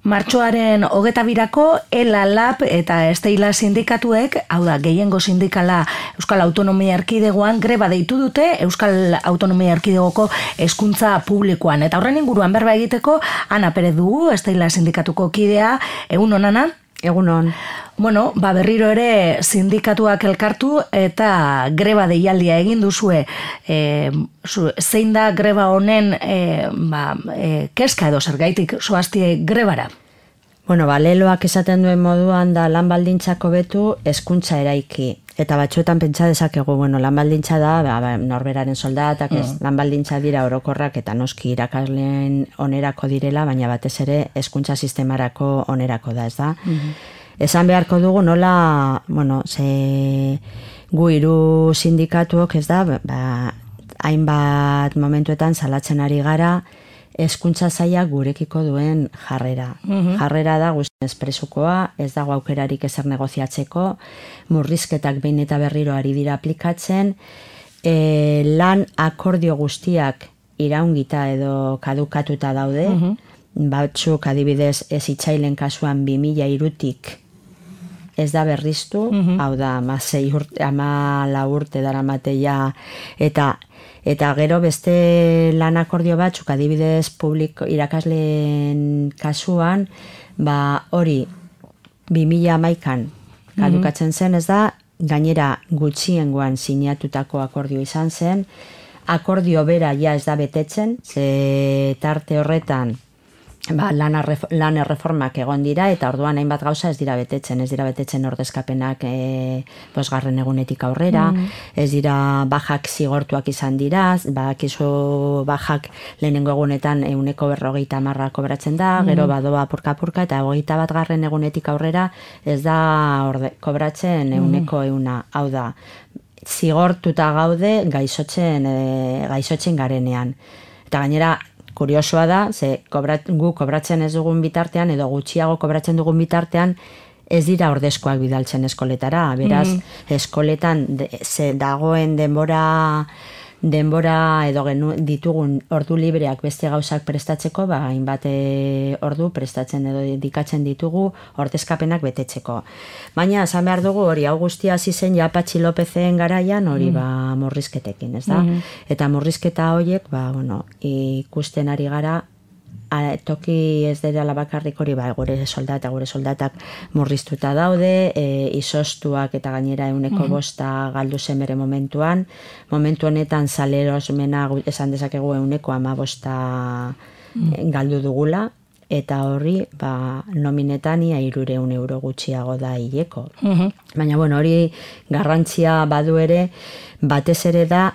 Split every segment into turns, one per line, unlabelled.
Martxoaren 22ko ELA Lab eta Esteila sindikatuek, hau da, gehiengo sindikala Euskal Autonomia Erkidegoan greba deitu dute Euskal Autonomia Erkidegoko hezkuntza publikoan. Eta horren inguruan berba egiteko, Ana Perez dugu, Esteila sindikatuko kidea, egun Ana?
Egunon.
Bueno, berriro ere sindikatuak elkartu eta greba deialdia egin duzue. Zein da greba honen kezka edo zergaitik zoaztie grebara?
Bueno, leloak esaten duen moduan da lan baldintzak hobetu hezkuntza eraiki. Eta batzuetan pentsa dezakegu, lan baldintza da, norberaren soldatak, lan baldintza dira orokorrak eta noski irakasleen onerako direla, baina batez ere hezkuntza sistemarako onerako da, ez da? Esan beharko dugu nola, gu hiru sindikatuok, ez da, hainbat momentuetan salatzen ari gara, hezkuntza sailak gurekiko duen jarrera. Jarrera da guztiz presukoa, ez dago aukerarik ezer negoziatzeko, murrizketak behin eta berriro ari dira aplikatzen, lan akordio guztiak iraungita edo kadukatuta daude, batzuk adibidez hezitzaileen kasuan 2003tik ez da berriztu, hau da 14 urte daramateia eta gero beste lan akordio batzuk adibidez irakasleen kasuan, hori 2011an kadukatzen zen, ez da, gainera gutxiengoan sinatutako akordio izan zen, akordio bera ja ez da betetzen, ze tarte horretan lan erreformak egon dira eta orduan hainbat gauza ez dira betetzen ordezkapenak bosgarren egunetik aurrera, ez dira bajak zigortuak izan dira, bakizu bajak lehenengo egunetan 150 kobratzen da, gero badoa apurka-apurka eta 21. egunetik aurrera ez da kobratzen 100%, hau da, zigortuta gaude gaixotzen garenean. Eta gainera, kuriosoa da, gu kobratzen ez dugun bitartean, edo gutxiago kobratzen dugun bitartean, ez dira ordezkoak bidaltzen eskoletara. Beraz, eskoletan dagoen denbora edo ditugun ordu libreak beste gauzak prestatzeko, hainbat ordu prestatzen edo dedikatzen ditugu ordezkapenak betetzeko. Baina, esan behar dugu, hori hau guztia hasi zen ja Patxi Lopezen garaian, hori murrizketekin, ez da? Eta murrizketa horiek, ikusten ari gara, toki ez dela bakarrik hori, gure soldatak murriztuta daude, izoztuak eta gainera 105 galdu zen bere momentuan. Momentu honetan salerosmena esan dezakegu 115 galdu dugula, eta horri nominetan ia 300 euro gutxiago da hileko. Baina, hori garrantzia badu ere, batez ere da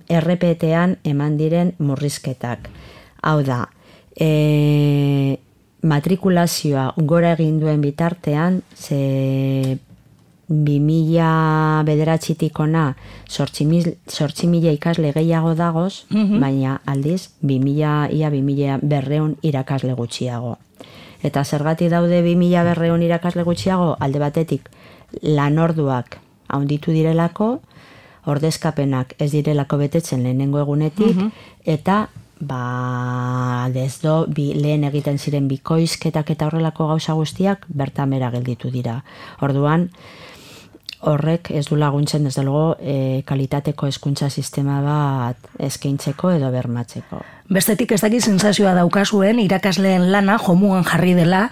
RPT-an eman diren murrizketak. Hau da, matrikulazioa gora egin duen bitartean, 2009-tik ona 8.000 ikasle gehiago dagoz, baina aldiz 2.200 irakasle gutxiago. Eta zergatik daude 2.200 irakasle gutxiago, alde batetik lanorduak handitu direlako, ordezkapenak ez direlako betetzen lehenengo egunetik, eta lehen egiten ziren bikoizketak eta horrelako gauza guztiak bertan bera gelditu dira. Orduan, horrek ez du laguntzen ez dago kalitateko hezkuntza sistema bat eskaintzeko edo bermatzeko.
Bestetik ez dakit sensazioa daukazuen irakasleen lana jomuan jarri dela,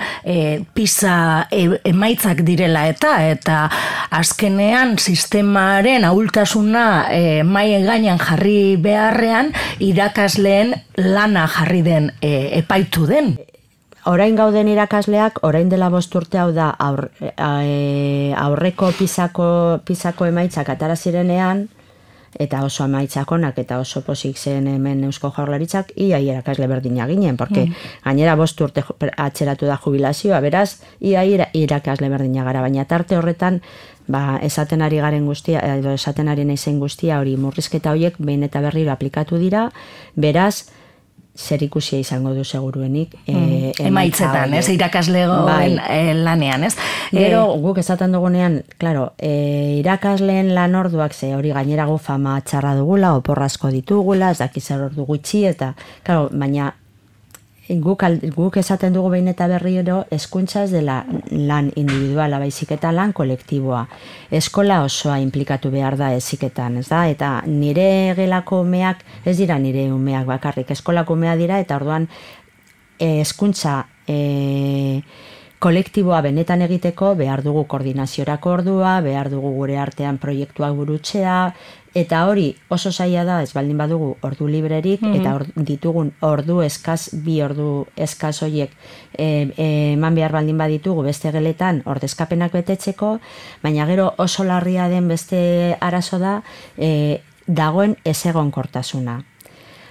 PISA emaitzak direla eta azkenean sistemaren ahultasuna mahai gainean jarri beharrean irakasleen lana jarri den epaitu den.
Orain gauden irakasleak, orain dela 5 urte, hau da, aurreko PISako emaitzak atara zirenean, eta oso emaitzakonak eta oso pozik zen hemen Eusko Jaurlaritzak, ia irakasle berdina ginen, porque gainera 5 urte atzeratu da jubilazioa, beraz, ia irakasle berdina gara, baina tarte horretan, esaten ari garen guztia, edo esaten ari naizen guztia, hori murrizketa horiek behin eta berriro aplikatu dira, beraz, zer ikusia izango du seguruenik
emaitzetan, irakaslegoen lanean, ez?
Gero, guk esaten dugunean, claro, irakasleen lan orduak, hori gainera gu fama txarra dugula, oporrazko ditugula, ez dakiz ordu gutxi, eta, claro, baina guk esaten dugu behin eta berriro, hezkuntza ez dela lan individuala, baizik eta lan kolektiboa. Eskola osoa implikatu behar da heziketan, ez da? Eta nire gelako umeak, ez dira nire umeak bakarrik, eskolako umea dira, eta orduan hezkuntza kolektiboa benetan egiteko behar dugu koordinaziorako ordua, behar dugu gure artean proiektuak burutzea, eta hori oso zaila da, ez baldin badugu ordu librerik, eta ditugun ordu eskaz, 2 ordu eskaz horiek eman behar baldin baditugu beste geletan ordezkapenak betetzeko, baina gero oso larria den beste arazo da, dagoen ezegonkortasuna.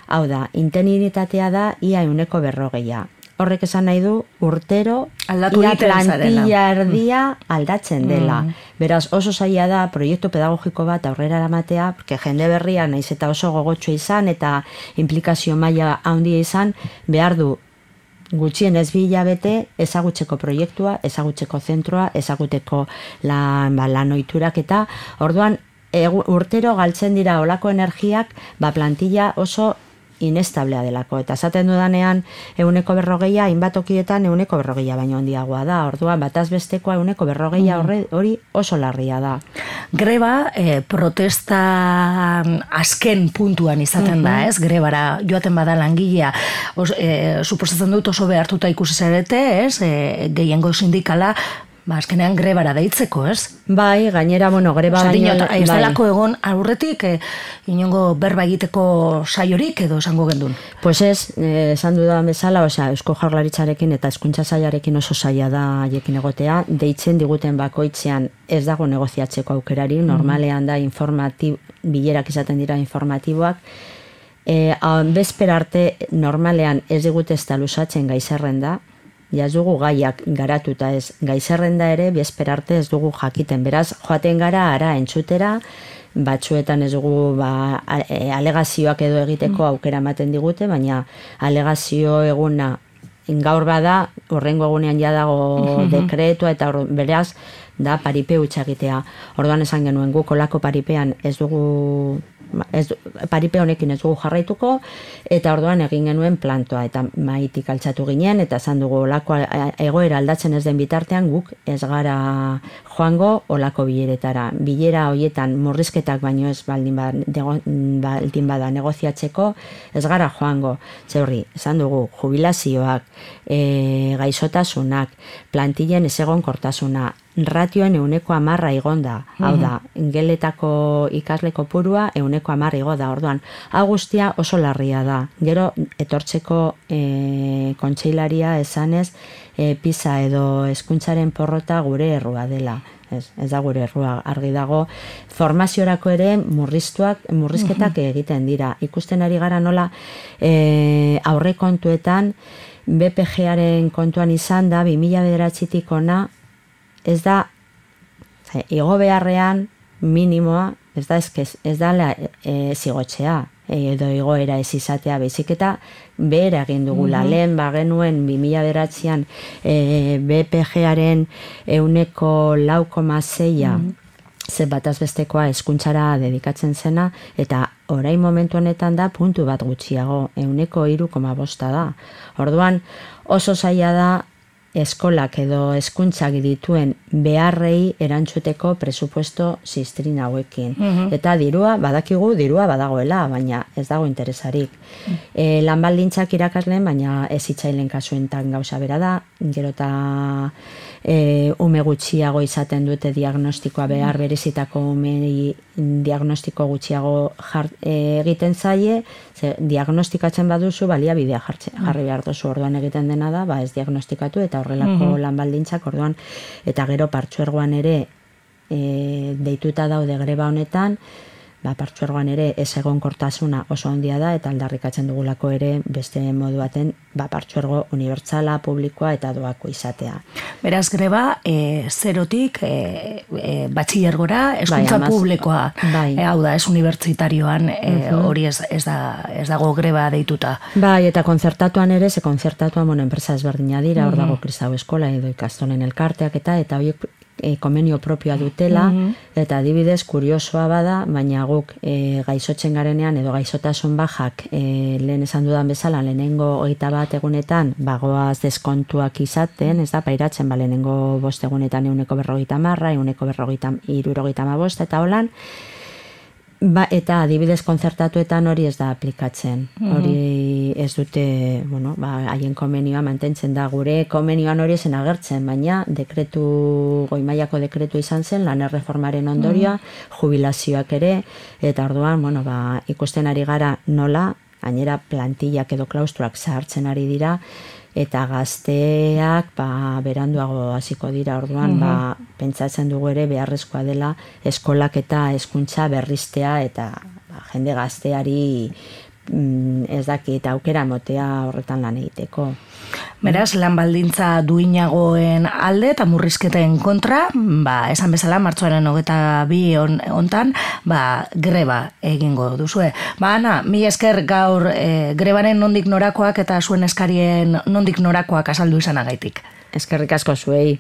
Hau da, interinitatea da ia 40%. Horrek esan nahi du, urtero, ia plantilla erdia aldatzen dela. Beraz, oso zaila da, proiektu pedagogiko bat aurrera eramatea, porque jende berria naiz eta oso gogotxo izan, eta implikazio maila handia izan, behar du gutxienez 2 hilabete ezagutzeko proiektua, ezagutzeko zentroa, ezaguteko lan ohiturak, eta orduan urtero galtzen dira olako energiak, plantilla oso inestablea delako, eta esaten dudanean 40%, hainbat tokietan 40% baino handiagoa da, orduan bataz bestekoa 40% hori oso larria da.
Greba protesta azken puntuan izaten da, ez? Grebara joaten bada langilea, suposatzen dut oso behartuta ikusi zarete, ez? Gehiengo sindikala, azkenean grebara deitzeko, ez?
Bai, gainera, greba
baino... Ez delako egon aurretik, inongo berba egiteko saiorik edo esango gendun?
Pues ez, esan dudan bezala, Eusko Jaurlaritzarekin eta hezkuntza sailarekin oso saila da haiekin egotea, deitzen diguten bakoitzean ez dago negoziatzeko aukerari, normalean da bilerak izaten dira informatiboak, bezper arte normalean ez digute ez da lusatzen gaizerrenda, ez dugu gaiak garatuta ez, gaizerrenda ere bezper arte ez dugu jakiten, beraz joaten gara ara entzutera, batzuetan ez dugu alegazioak edo egiteko aukera ematen digute, baina alegazio eguna gaur bada, horrengo egunean ja dago dekretua, eta beraz da paripe utxagitea. Orduan esan genuen guk olako paripean ez dugu, paripe honekin ez dugu jarraituko, eta orduan egin genuen plantoa, eta maitik altxatu ginen, eta esan dugu olako egoera aldatzen ez den bitartean guk ez gara joango olako bileretara. Bilera horietan murrizketak baino ez baldin bada negoziatzeko, ez gara joango. Zeurri, esan dugu, jubilazioak, gaixotasunak, plantillen ezegonkortasuna, ratioen 10% igonda, hau da, geletako ikasle kopurua 10% igo da, orduan, hau guztia oso larria da. Gero, etortzeko kontseilaria esanez, PISA edo hezkuntzaren porrota gure errua dela. Ez da gure errua, argi dago. Formaziorako ere murrizketak egiten dira. Ikusten ari gara nola aurrekontuetan BPG-aren kontuan izan da 2009-tik ona, ez da igo beharrean minimoa, ez da zigotzea edo igoera ez izatea, baizik eta behera egin dugula. Lehen genuen 2009an BPG-aren 6,6 ze bataz bestekoa hezkuntzara dedikatzen zena, eta orain momentu honetan da puntu bat gutxiago, 3,5 da. Orduan oso zaila da eskolak edo hezkuntzak dituen beharrei erantzuteko presupuesto ziztrin hauekin. Eta dirua badagoela, baina ez dago interesarik. Lan baldintzak irakasleen, baina ez hitzailen kasuentan gauza bera da, gero eta ume gutxiago izaten dute diagnostikoa, behar berezitako umei diagnostiko gutxiago egiten zaie, diagnostikatzen baduzu baliabidea jarri behar duzu, orduan egiten dena da, ez diagnostikatu eta horrelako lan baldintzak, orduan, eta gero partzuergoan ere deituta daude greba honetan, partzuergoan ere ez egonkortasuna oso handia da, eta aldarrikatzen dugulako ere beste modu baten partzuergo unibertsala, publikoa eta doako izatea.
Beraz, greba, zerotik batxillergora, hezkuntza publikoa, hau da, ez unibertsitarioan, hori ez dago greba deituta.
Bai, eta konzertatuan ere, konzertatuan enpresa ezberdina dira, hor dago Kristau Eskola edo ikastolen elkarteak eta horiek komenio propioa dutela, eta adibidez kuriosoa bada, baina guk gaizotzen garenean edo gaizotasun bajak lehen esan dudan bezala, lehenengo 21 egunetan bagoaz deskontuak izaten, ez da, pairatzen, lehenengo 5 egunetan 150, 150, eta holan, eta adibidez kontzertatuetan hori ez da aplikatzen. Hori ez dute, haien komenioa mantentzen da. Gure komenioan hori zen agertzen, baina goi mailako dekretu izan zen, lan erreformaren ondorioa, jubilazioak ere, eta orduan, ikusten ari gara nola, gainera plantillak edo klaustruak zahartzen ari dira, eta gazteak beranduago hasiko dira, orduan pentsatzen dugu ere beharrezkoa dela eskolak eta hezkuntza berriztea eta jende gazteari ez dakit aukera motea horretan lan egiteko.
Beraz, lan baldintza duinagoen alde eta murrizketen kontra, esan bezala, martxoaren 22 hontan, greba egingo duzue. Ana, mila esker gaur grebaren nondik norakoak eta zuen eskarien nondik norakoak azaldu izanagaitik.
Eskerrik asko zuei.